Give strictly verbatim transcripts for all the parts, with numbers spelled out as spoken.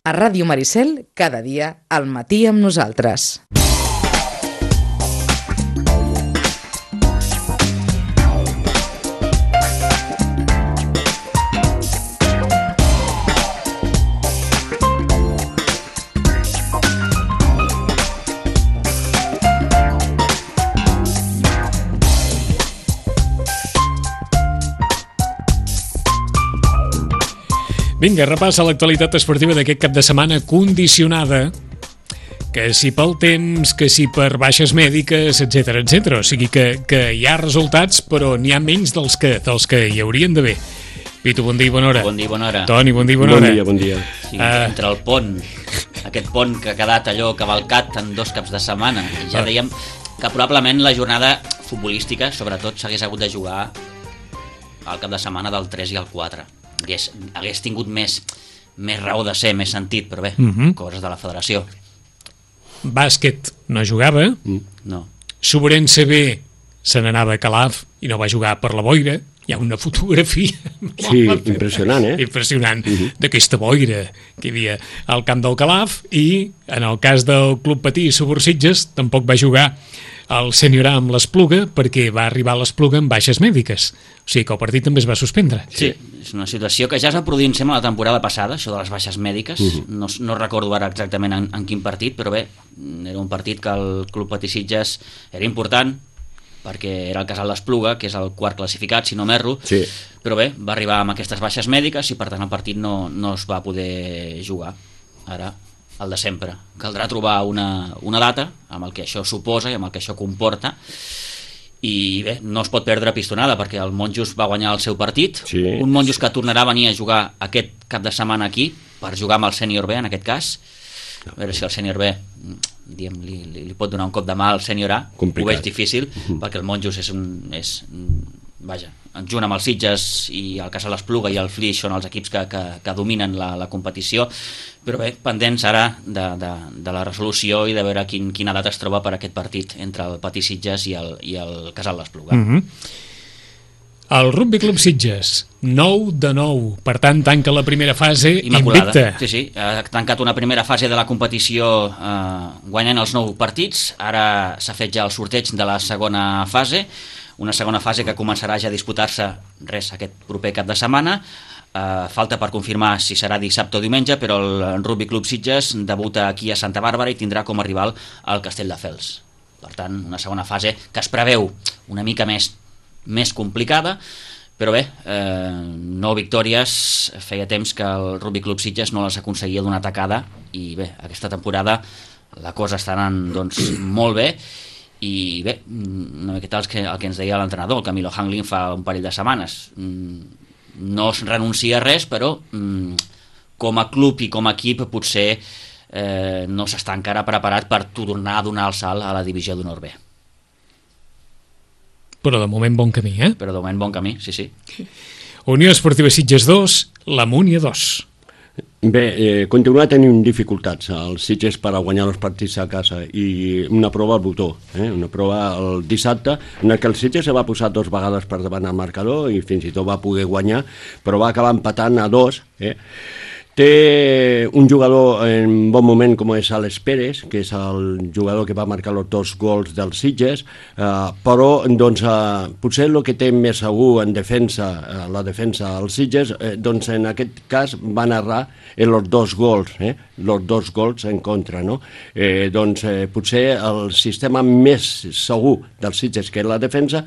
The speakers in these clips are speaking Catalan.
A Ràdio Maricel, cada dia al matí amb nosaltres. Vinga, repassa l'actualitat esportiva d'aquest cap de setmana condicionada, que si pel temps, que si per baixes mèdiques, etcètera, etcètera. O sigui que, que hi ha resultats, però n'hi ha menys dels que, dels que hi haurien d'haver. Pitu, bon dia i bona hora. Bon dia i bona hora. Toni, bon dia i bona bon hora. Dia, bon dia. Sí, uh... Entre el pont, aquest pont que ha quedat allò cavalcat en dos caps de setmana, ja uh... dèiem que probablement la jornada futbolística, sobretot, s'hagués hagut de jugar al cap de setmana del tres i el quatre. Hagués, hagués tingut més, més raó de ser, més sentit, però bé, uh-huh. coses de la federació. Bàsquet no jugava. Mm. No. Sobrense B se n'anava a Calaf i no va jugar per la boira. Hi ha una fotografia sí, impressionant, eh? impressionant uh-huh. d'aquesta boira que hi havia al camp del Calaf, i en el cas del Club Patí Subursitges tampoc va jugar el sènior A amb l'Espluga perquè va arribar a l'Espluga amb baixes mèdiques. O sigui que el partit també es va suspendre. Sí, és una situació que ja es va produir, em sembla, la temporada passada, això de les baixes mèdiques. Uh-huh. No, no recordo ara exactament en, en quin partit, però bé, era un partit que el Club Patí Sitges era important, perquè era el Casal d'Espluga, que és el quart classificat, si no m'erro, sí. Però bé, va arribar amb aquestes baixes mèdiques i per tant el partit no, no es va poder jugar. Ara, el de sempre. Caldrà trobar una, una data amb el que això suposa i amb el que això comporta, i bé, no es pot perdre pistonada perquè el Monjos va guanyar el seu partit, sí. Un Monjos que tornarà a venir a jugar aquest cap de setmana aquí per jugar amb el sènior B en aquest cas. A veure si el sènior B diem, li, li, li pot donar un cop de mà al sènior A. Complicat. Ho veig difícil, uh-huh. perquè el Monjos és un, és, vaja, junt amb els Sitges i el Casal Espluga i el Flix són els equips que, que, que dominen la, la competició, però bé, pendents ara de, de, de la resolució i de veure quin, quina data es troba per aquest partit entre el Patí Sitges i el, i el Casal d'Espluga. Uh-huh. El Rugby Club Sitges, nou de nou, per tant tanca la primera fase immaculada. Invicta. Sí, sí, ha tancat una primera fase de la competició eh, guanyant els nou partits, ara s'ha fet ja el sorteig de la segona fase, una segona fase que començarà ja a disputar-se res aquest proper cap de setmana. Uh, falta per confirmar si serà dissabte o diumenge, però el Rugby Club Sitges debuta aquí a Santa Bàrbara i tindrà com a rival el Castelldefels. Per tant, una segona fase que es preveu una mica més, més complicada, però bé, eh, nou victòries, feia temps que el Rugby Club Sitges no les aconseguia d'una tacada, i bé, aquesta temporada la cosa està anant doncs, molt bé. I bé, una miqueta el que, el que ens deia l'entrenador, el Camilo Hanglin, fa un parell de setmanes. No es renuncia a res, però com a club i com a equip potser eh, no s'està encara preparat per tornar a donar el salt a la divisió d'honor B. Però de moment bon camí, eh? Però de moment bon camí, sí, sí. Unió Esportiva Sitges dos, la Múnia dos. Bé, eh, continua tenint dificultats els Sitges per a guanyar els partits a casa, i una prova al botó, eh? una prova el dissabte en què el Sitges se va posar dos vegades per davant al marcador i fins i tot va poder guanyar, però va acabar empatant a dos. Eh? Té un jugador en bon moment com és Alex Pérez, que és el jugador que va marcar els dos gols dels Sitges, eh, però doncs, eh, potser el que té més segur en defensa, eh, la defensa als Sitges, eh, doncs en aquest cas van errar en els dos gols, eh? els dos gols en contra. No? Eh, doncs eh, potser el sistema més segur dels Sitges, que és la defensa,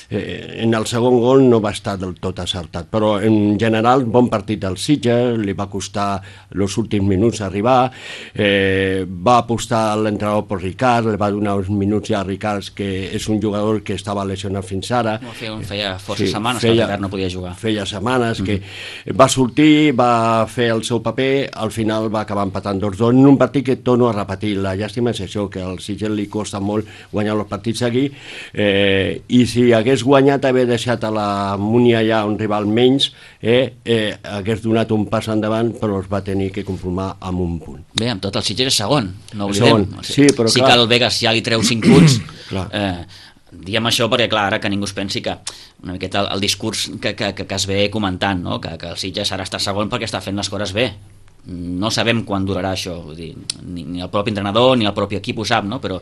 eh, en el segon gol no va estar del tot acertat, però en general bon partit dels Sitges, li va costar els últims minuts arribar, eh, va apostar l'entrenador per Ricard, li va donar uns minuts ja a Ricard, que és un jugador que estava lesionat fins ara. No, feia, feia força sí, setmanes feia, que Ricard no podia jugar. Feia setmanes mm-hmm. que va sortir, va fer el seu paper, al final va acabar empatant dos dos en un partit que torno a repetir. La llàstima és això, que al Sitges li costa molt guanyar els partits aquí, eh, i si hagués guanyat, haver deixat a la Múnia ja un rival menys, eh, eh, hagués donat un pas endavant, però es va tenir que conformar amb un punt. Bé, amb tot el Sitges és segon, no oblidem. Segon, sí, però sí clar. Que el Vegas ja li treu cinc punts. eh, diem això perquè, clar, ara que ningú es pensi que una miqueta el, el discurs que, que, que, que es ve comentant, no? que, que el Sitges ara està segon perquè està fent les coses bé. no sabem quan durarà això, vull dir, ni, ni el propi entrenador ni el propi equip ho sap, no? Però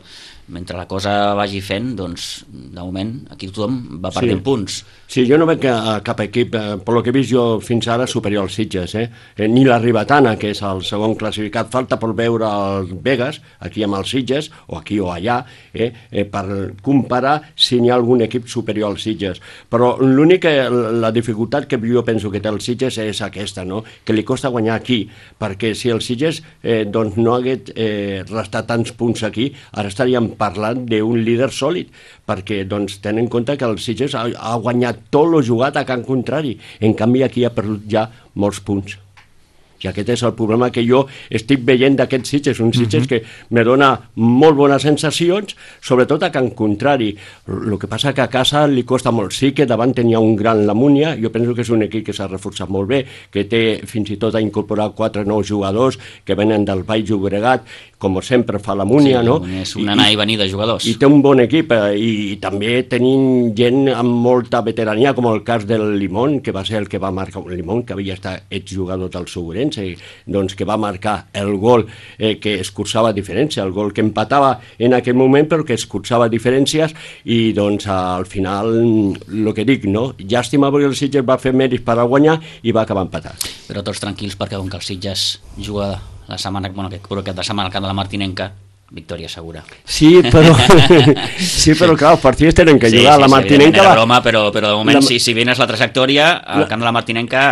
mentre la cosa vagi fent, doncs de moment aquí tothom va perdent sí. punts. Sí, jo no veig a cap equip, eh, per lo que he vist jo fins ara, superior als Sitges, eh? eh ni la Ribetana, que és el segon classificat, falta per veure el Vegas, aquí amb els Sitges, o aquí o allà, eh? Eh, per comparar si n'hi ha algun equip superior als Sitges. Però l'única, la dificultat que jo penso que té els Sitges és aquesta, no? Que li costa guanyar aquí, perquè si els Sitges eh, doncs no hagués eh, restat tants punts aquí, ara estaríem parlant d'un líder sòlid, perquè doncs, tenen en compte que el Sitges ha, ha guanyat tot lo jugat a Can Contrari, en canvi aquí ha perdut ja molts punts. I aquest és el problema que jo estic veient d'aquests Sitges, un Sitges uh-huh. que me dona molt bones sensacions, sobretot a Can Contrari. El que passa que a casa li costa molt. Sí que davant tenia un gran la Múnia, jo penso que és un equip que s'ha reforçat molt bé, que té fins i tot a incorporar quatre nous jugadors que venen del Baix Llobregat, com sempre fa la Múnia, sí, no? És un anar i venir de jugadors. I té un bon equip, eh, i, i també tenim gent amb molta veterania, com el cas del Limón, que va ser el que va marcar, el Limón, que havia estat exjugador del Segurense, doncs que va marcar el gol eh, que escurçava diferència, el gol que empatava en aquell moment però que escurçava diferències, i doncs al final el que dic, no? Llàstima perquè el Sitges va fer mèrits per a guanyar i va acabar empatat. Però tots tranquils perquè com que el Sitges juga la setmana, bueno, que crec que de setmana al camp de la Martinenca, victòria segura. Sí, però sí, però clar, els partits tenen que sí, jugar. Sí, la sí, Martinenca era broma, però, però de moment, la... si, si vienes la trajectòria, al camp de la Martinenca,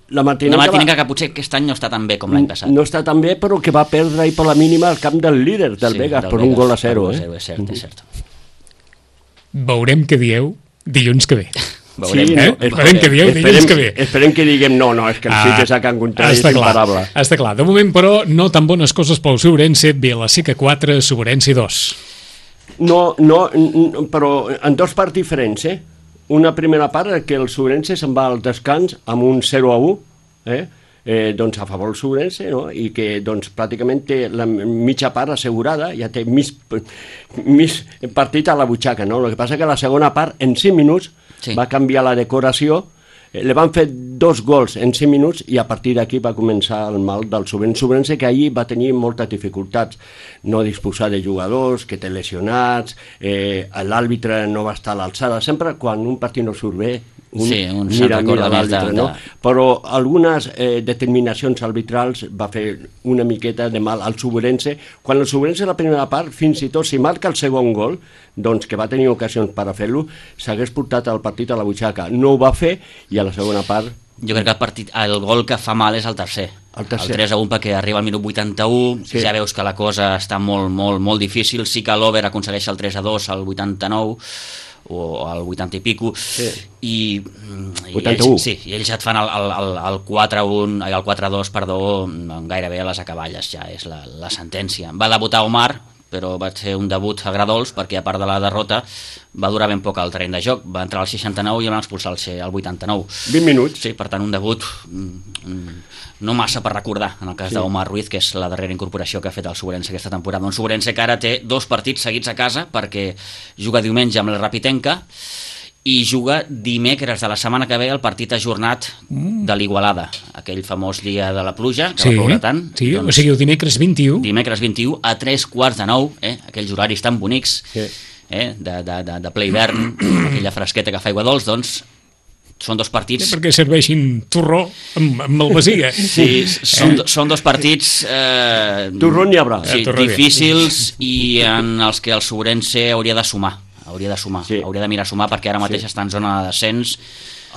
la Martinenca, la Martinenca va... que potser aquest any no està tan bé com l'any passat. No està tan bé, però que va perdre i per la mínima al camp del líder, del sí, Vegas, del per Vegas, un gol a zero. Eh? És cert, és cert. Veurem què dieu dilluns que ve. Veurem, sí, eh? no, esperem que dieu dilluns que ve. Esperem que diguem no, no, és que el ah, Sitges a Can Contrari és imparable. Està clar, de moment però no tan bones coses pel Segurense, Vila-seca quatre, Segurense dos. No, no, però en dos parts diferents, eh? Una primera part que el Segurense se'n va al descans amb un zero a u, eh? Eh, doncs a favor del Segurense, no? I que doncs, pràcticament té la mitja part assegurada, ja té mig, mig partit a la butxaca, no? El que passa que la segona part, en cinc minuts, sí. va canviar la decoració, eh, li van fer dos gols en cinc minuts i a partir d'aquí va començar el mal del Segurense. Segurense que ahir va tenir moltes dificultats, no disposar de jugadors, que té lesionats, eh, l'àrbitre no va estar a l'alçada, sempre quan un partit no surt bé, un, sí, un mira, mira l'àrbitre, de... no? Però algunes eh, determinacions arbitrals va fer una miqueta de mal al Segurense. Quan el Segurense la primera part, fins i tot si marca el segon gol, doncs que va tenir ocasions per a fer-lo, s'hagués portat el partit a la butxaca. No ho va fer i a la segona part... Jo crec que el, partit, el gol que fa mal és el tercer. El, tercer. el tres a un perquè arriba al minut vuitanta-u, sí. Ja veus que la cosa està molt, molt, molt difícil. Sí que l'Over aconsegueix el tres a dos al vuitanta-nou, o al vuitanta i pico, sí. i, i vuitanta-u. Ells, sí, i ells ja et fan el, el, el quatre a un, el quatre a dos, perdó, gairebé a les acaballes, ja és la, la sentència. Va debutar Omar, però va ser un debut a Gradols, perquè a part de la derrota va durar ben poc al terreny de joc, va entrar al seixanta-nou i el van expulsar al vuitanta-nou. vint minuts. Sí, per tant, un debut no massa per recordar, en el cas sí. d'Omar Ruiz, que és la darrera incorporació que ha fet el Segurense aquesta temporada. Un Segurense que ara té dos partits seguits a casa, perquè juga diumenge amb la Rapitenca i juga dimecres de la setmana que ve el partit ajornat mm. de l'Igualada, aquell famós dia de la pluja que sí, va ploure tant. Sí, doncs, o sigui, el dimecres vint-i-u. Dimecres vint-i-u a tres quarts de nou, eh? Aquells horaris tan bonics, sí. eh? de, de, de, de ple hivern, aquella fresqueta que fa aigua dolç, doncs són dos partits... Sí, perquè serveixin torró amb, amb malvasia. Sí, són, eh? són dos partits... Eh, torró n'hi haurà. Sí, eh, difícils i en els que el Segurense hauria de sumar. Hauria de sumar, sí. hauria de mirar a sumar, perquè ara mateix sí. està en zona de descens.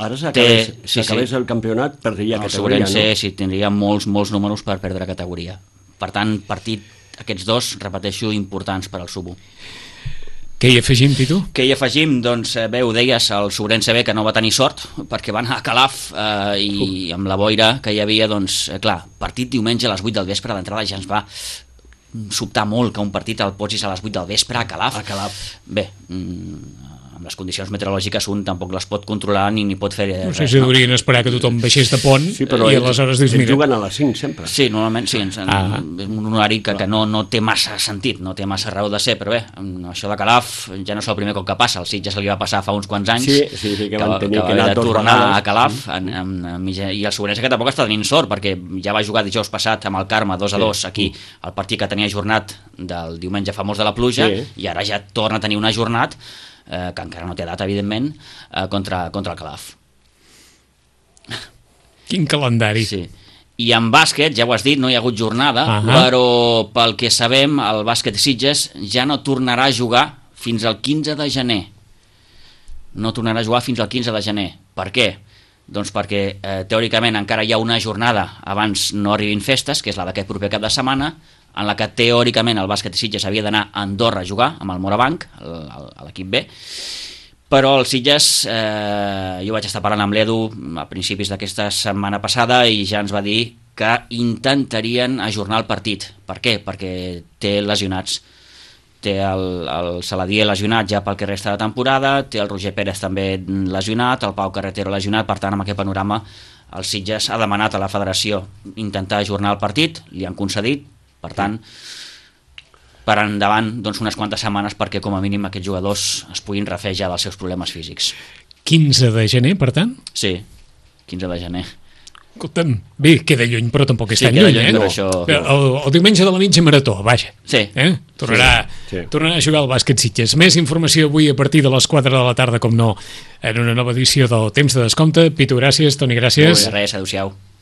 Ara s'acabés sí, sí. el campionat, perdria el categoria, Segurense, no? sí, tindria molts, molts números per perdre categoria. Per tant, partit, aquests dos, repeteixo, importants per al Subo. Què hi afegim, Pitu? Què hi afegim? Doncs bé, ho deies, el Segurense B que no va tenir sort, perquè va anar a Calaf eh, i uh. amb la boira que hi havia, doncs, eh, clar, partit diumenge a les vuit del vespre, d'entrada ja ens va sobtar molt que un partit el posis a les vuit del vespre a Calaf. A Calaf. Bé, mm, amb les condicions meteorològiques un tampoc les pot controlar ni, ni pot fer No res. sé si haurien esperar que tothom baixés de pont Sí, però i ells, aleshores dius, ells mira... juguen a les cinc sempre. Sí, normalment sí, ens, Ah. és un horari que, que no, no té massa sentit, no té massa raó de ser, però bé, això de Calaf ja no és el primer cop que passa, el Sitges se li va passar fa uns quants anys, Sí, sí, sí, que van va- tenir va que haver anar de dos tornar vegades. a Calaf, en, en, en, mitja- i el Sobrense que tampoc està tenint sort, perquè ja va jugar dijous passat amb el Carme dos a dos aquí, el partit que tenia ajornat del diumenge famós de la pluja, Sí. i ara ja torna a tenir un ajornat, eh, que encara no té data, evidentment, eh, contra, contra el Calaf. Quin calendari. Sí. I en bàsquet, ja ho has dit, no hi ha hagut jornada, Ahà. però pel que sabem, el bàsquet Sitges ja no tornarà a jugar fins al quinze de gener. No tornarà a jugar fins al quinze de gener. Per què? Doncs perquè eh, teòricament encara hi ha una jornada abans no arribin festes, que és la d'aquest proper cap de setmana, en la que teòricament el bàsquet Sitges havia d'anar a Andorra a jugar amb el Morabanc, el- el- a l'equip B, però el Sitges, eh, jo vaig estar parlant amb l'Edu a principis d'aquesta setmana passada i ja ens va dir que intentarien ajornar el partit. Per què? Perquè té lesionats. Té el, el Saladier lesionat ja pel que resta de temporada, té el Roger Pérez també lesionat, el Pau Carretero lesionat, per tant, amb aquest panorama el Sitges ha demanat a la federació intentar ajornar el partit, li han concedit, per tant, per endavant doncs, unes quantes setmanes perquè com a mínim aquests jugadors es puguin refer ja dels seus problemes físics. quinze de gener, per tant? Sí, quinze de gener. Escolta'm, bé, queda lluny, però tampoc és Sí, tan queda lluny, lluny, eh? però això- El, el diumenge de la mitja marató, vaja. Sí. Eh? Tornarà, Sí, sí. tornarà a jugar al bàsquet Sitges. Més informació avui a partir de les quatre de la tarda, com no, en una nova edició del Temps de Descompte. Pitu, gràcies. Toni, gràcies. Molt bé, res, adéu-siau.